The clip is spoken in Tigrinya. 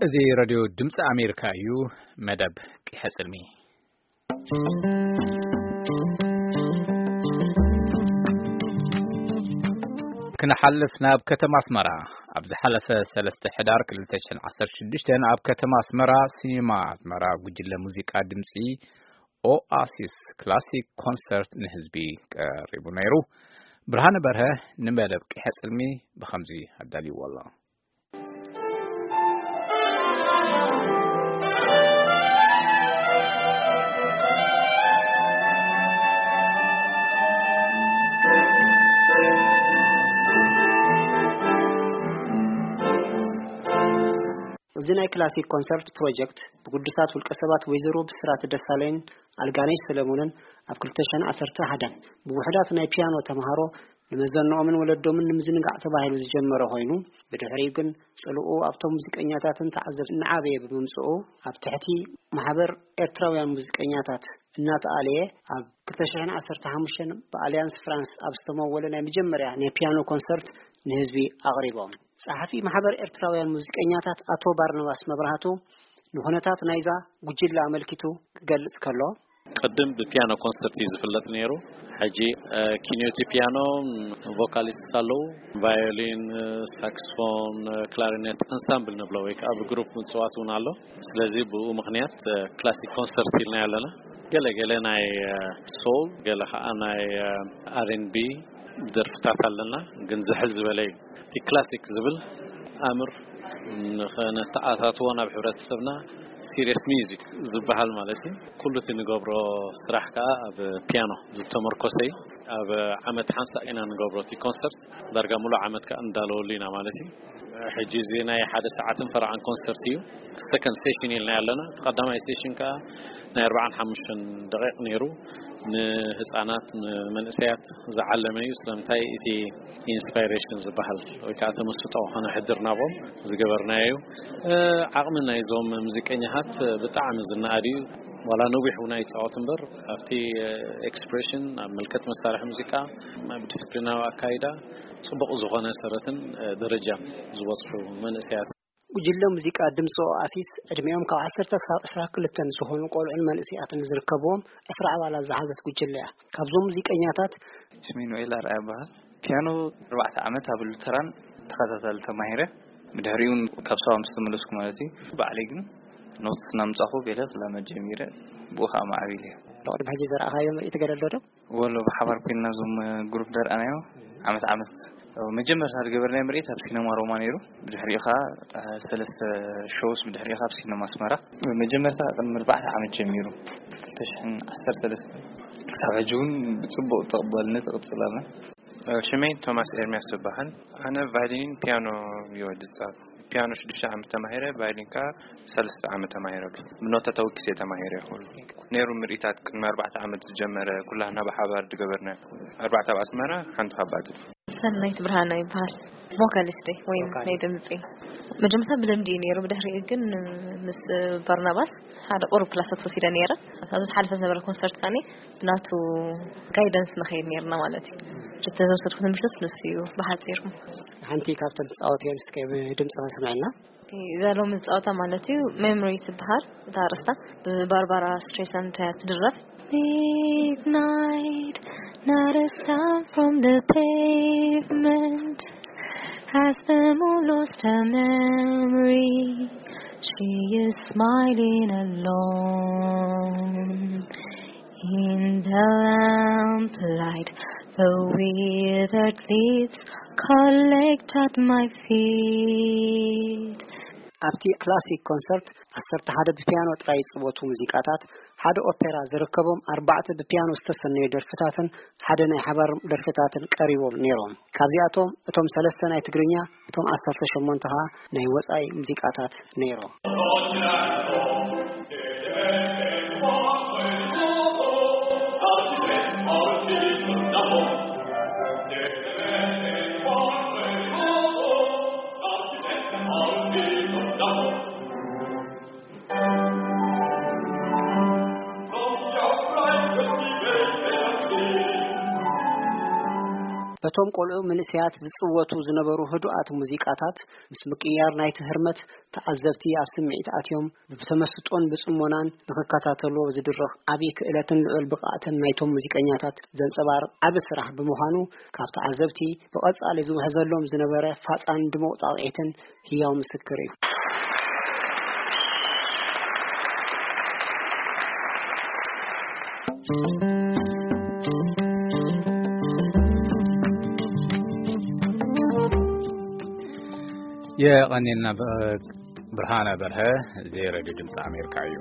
እዚ ሬድዮ ድምፂ ኣሜሪካ እዩ። መደብ ቂሐ ጽልሚ ክንሓልፍ ናብ ከተማ ኣስመራ። ኣብ ዝሓለፈ ሰለስተ ሕዳር ክልተ ሽሕን ዓሰርተ ሽዱሽተን ኣብ ከተማ ኣስመራ፣ ሲኒማ ኣስመራ፣ ጉጅለ ሙዚቃ ድምፂ ኦኣሲስ ክላሲክ ኮንሰርት ንህዝቢ ቀሪቡ ነይሩ። ብርሃነ በርሀ ንመደብ ቂሐ ጽልሚ ብኸምዚ ኣዳልይዎ ኣሎ። እዚ ናይ ክላሲክ ኮንሰርት ፕሮጀክት ብግዱሳት ውልቀ ሰባት ወይዘሮ ብስራት ደሳለይን ኣልጋነሽ ሰለሞንን ኣብ ክልተ ሽሕን ዓሰርተ ሓደን ብውሑዳት ናይ ፒያኖ ተምሃሮ ንመዘንኦምን ወለዶምን ንምዝንጋዕ ተባሂሉ ዝጀመረ ኮይኑ፣ ብድሕሪኡ ግን ጽልኡ ኣብቶም ሙዚቀኛታትን ተዓዘብቲ እናዓበየ ብምምጽኡ፣ ኣብ ትሕቲ ማሕበር ኤርትራውያን ሙዚቀኛታት እናተኣለየ፣ ኣብ ክልተ ሽሕን ዓሰርተ ሓሙሽተን ብኣልያንስ ፍራንስ ኣብ ዝተመወለ ናይ መጀመርያ ናይ ፒያኖ ኮንሰርት ንህዝቢ ኣቕሪቦም። ጸሓፊ ማሕበር ኤርትራውያን ሙዚቀኛታት ኣቶ ባርናባስ መብራህቱ ንኹነታት ናይዛ ጉጅለ ኣመልኪቱ ክገልጽ ከሎ፣ ቅድም ብፒያኖ ኮንሰርት እዩ ዝፍለጥ ነይሩ። ሕጂ፣ እ፣ ኪንዮቲ ፒያኖ፣ ም፣ ቮካሊስት ኣለዉ፣ ቫዮሊን፣ እ፣ ሳክስፎን፣ እ፣ ክላሪኔት፣ ኣንሳምብል ንብሎ ወይ ከዓ ብግሩፕ ምጽዋት እውን ኣሎ። ስለዚ ብኡ ምኽንያት፣ እ፣ ክላሲክ ኮንሰርት ኢልና ኣለና። ገለ ገለ ናይ፣ እ፣ ሶል፣ ገለ ከዓ ናይ፣ እ፣ ኣር ኤን ቢ ደርፍታት ኣለና፣ ግን ዝሕል ዝበለ እዩ። እቲ ክላሲክ ዝብል ኣምር ንኸነተኣታትዎ ናብ ሕብረተሰብና፣ ሲሪየስ ሚውዚክ ዝበሃል ማለት እዩ። ኩሉ እቲ ንገብሮ ስራሕ ከኣ ኣብ ፒያኖ ዝተመርኮሰ እዩ። ኣብ ዓመት ሓንሳእ ኢና ንገብሮ እቲ ኮንሰርት። ዳርጋ ሙሉእ ዓመት ከኣ እንዳለወሉ ኢና ማለት እዩ። ሕጂ እዚ ናይ ሓደ ሰዓትን ፈረቓን ኮንሰርት እዩ። ሰከንድ ስቴሽን ኢልና ኣለና። እቲ ቀዳማይ ስቴሽን ከኣ ናይ ኣርባዓን ሓሙሽተን ደቂቕ ነይሩ። ንህፃናት፣ ንመንእሰያት ዝዓለመ እዩ። ስለምንታይ? እቲ ኢንስፓይሬሽን ዝበሃል ወይ ከዓ ተመስጦ ከነሕድር ናብኦም ዝገበርናዮ እዩ። እ፣ ዓቕሚ ናይዞም ሙዚቀኛታት ብጣዕሚ ዝነኣድ እዩ። ዋላ ነዊሕ እውን ኣይፃወት እምበር፣ ኣብቲ፣ እ፣ ኤክስፕሬሽን፣ ኣብ ምልከት መሳርሒ ሙዚቃ፣ ኣብ ዲስፕሊናዊ ኣካይዳ፣ ጽቡቕ ዝኾነ ሰረትን፣ እ፣ ደረጃን ዝበጽሑ መንእሰያት። ጉጅለ ሙዚቃ ድምፂ ኦኣሲስ ዕድሚኦም ካብ ዓሰርተ ክሳብ ዕስራ ክልተን ዝኾኑ ቆልዑን መንእሰያትን ዝርከብዎም ዕስራ ኣባላት ዝሓዘት ጉጅለ እያ። ካብዞም ሙዚቀኛታት ስሜ ኖኤል ኣርኣያ ይበሃል። ፒያኖ ኣርባዕተ ዓመት ኣብ ሉተራን ተኸታታሊ ተማሂረ። ብድሕሪኡ እውን ካብ ሰባ ምስ ተመለስኩ ማለት እዩ። ባዕለይ ግን ኖትስ እናምጻኹ ገለ ክላመድ ጀሚረ። ብኡ ኸዓ ማዕቢለ እየ። ቅድሚ ሕጂ ዘርኣኻዮ ምርኢት ገለ ኣሎ ዶ? ወሎ ብሓባር ኮይንና እዞም ግሩፕ ደርኣናዮ ዓመት ዓመት መጀመርታ ዝገበርናዮ ምርኢት ኣብ ሲነማ ሮማ ነይሩ። ብድሕሪኡ ኸዓ ሰለስተ ሾውስ ብድሕሪኡ ኸዓ ኣብ ሲነማ ኣስመራ። መጀመርታ ቅድሚ ኣርባዕተ ዓመት ጀሚሩ፣ ክልተ ሽሕን ዓሰርተ ሰለስተ ክሳብ ሕጂ እውን ብጽቡቕ ተቐባልነት ይቕጽል ኣሎ። ሽመይ ቶማስ ኤርሚያስ ይበሃል። ኣነ ቫይሊንን ፒያኖ እየ ዝጻወት። ፒያኖ ሽዱሽተ ዓመት ተማሂረ፣ ቫይሊን ከኣ ሰለስተ ዓመት ተማሂረሉ። ብኖታ ተወኪሰ ተማሂረ ይኸሉ። ነይሩ ምርኢታት ቅድሚ ኣርባዕተ ዓመት ዝጀመረ፣ ኩላህና ብሓባር ዝገበርና። ኣርባዕተ ኣብ ኣስመራ፣ ሓንቲ ካብ ባጽዕ። ሰናይት ብርሃና ይበሃል። ቮካሊስት እየ፣ ወይም ቮካሊስት። ናይ ድምጺ። መጀመርታ ብልምዲ እዩ ነይሩ፣ ብድሕሪኡ ግን ምስ በርናባስ ሓደ ቁሩብ ክላሳት ወሲደ ነይረ። ኣብዚ ዝሓለፈ ዝነበረ ኮንሰርት ከኣ ብናቱ ጋይደንስ ንኸይድ ነይርና ማለት እዩ። እቲ ዝወሰድኩ ትምህርትስ ንሱ እዩ ብሓጺሩ። ሓንቲ ካብተን ትጻወትየን እስከ ብድምጺ ከስምዐና። ኦኬ፣ እዛ ሎሚ ዝጻወታ ማለት እዩ ሜሞሪ ትበሃል እታ ኣርእስታ፣ ብባርባራ ስትሬሳንድ እያ ትድረፍ። Midnight, not a sound from the pavement. Has the moon lost her memory? She is smiling alone. In the lamplight, the withered leaves collect at my feet. ኣብቲ ክላሲክ ኮንሰርት ዓሰርተ ሓደ ብፒያኖ ጥራይ ዝጽወቱ ሙዚቃታት፣ ሓደ ኦፔራ ዝርከቦም ኣርባዕተ ብፒያኖ ዝተሰነዩ ደርፍታትን ሓደ ናይ ሓባር ደርፍታትን ቀሪቦም ነይሮም። ካብዚኣቶም እቶም ሰለስተ ናይ ትግርኛ፣ እቶም ዓሰርተ ሸሞንተ ኸኣ ናይ ወጻኢ ሙዚቃታት ነይሮም። በቶም ቆልዑ ምንእሰያት ዝጽወቱ ዝነበሩ ህዱኣት ሙዚቃታት፣ ምስ ምቅይያር ናይቲ ህርመት፣ ተዓዘብቲ ኣብ ስምዒት ኣትዮም ብተመስጦን ብጽሞናን ንኽከታተልዎ ዝድረኽ ዓቢ ክእለትን ልዑል ብቕዓትን ናይቶም ሙዚቀኛታት ዘንጸባርቕ ዓቢ ስራሕ ብምዃኑ፣ ካብ ተዓዘብቲ ብቐጻሊ ዝውሕዘሎም ዝነበረ ፋጻን ድሙቕ ጣቕዒትን ህያው ምስክር እዩ። የቐኔልና ብ-፣ ብርሃነ በርሀ። እዚ ሬድዮ ድምፂ ኣሜሪካ እዩ።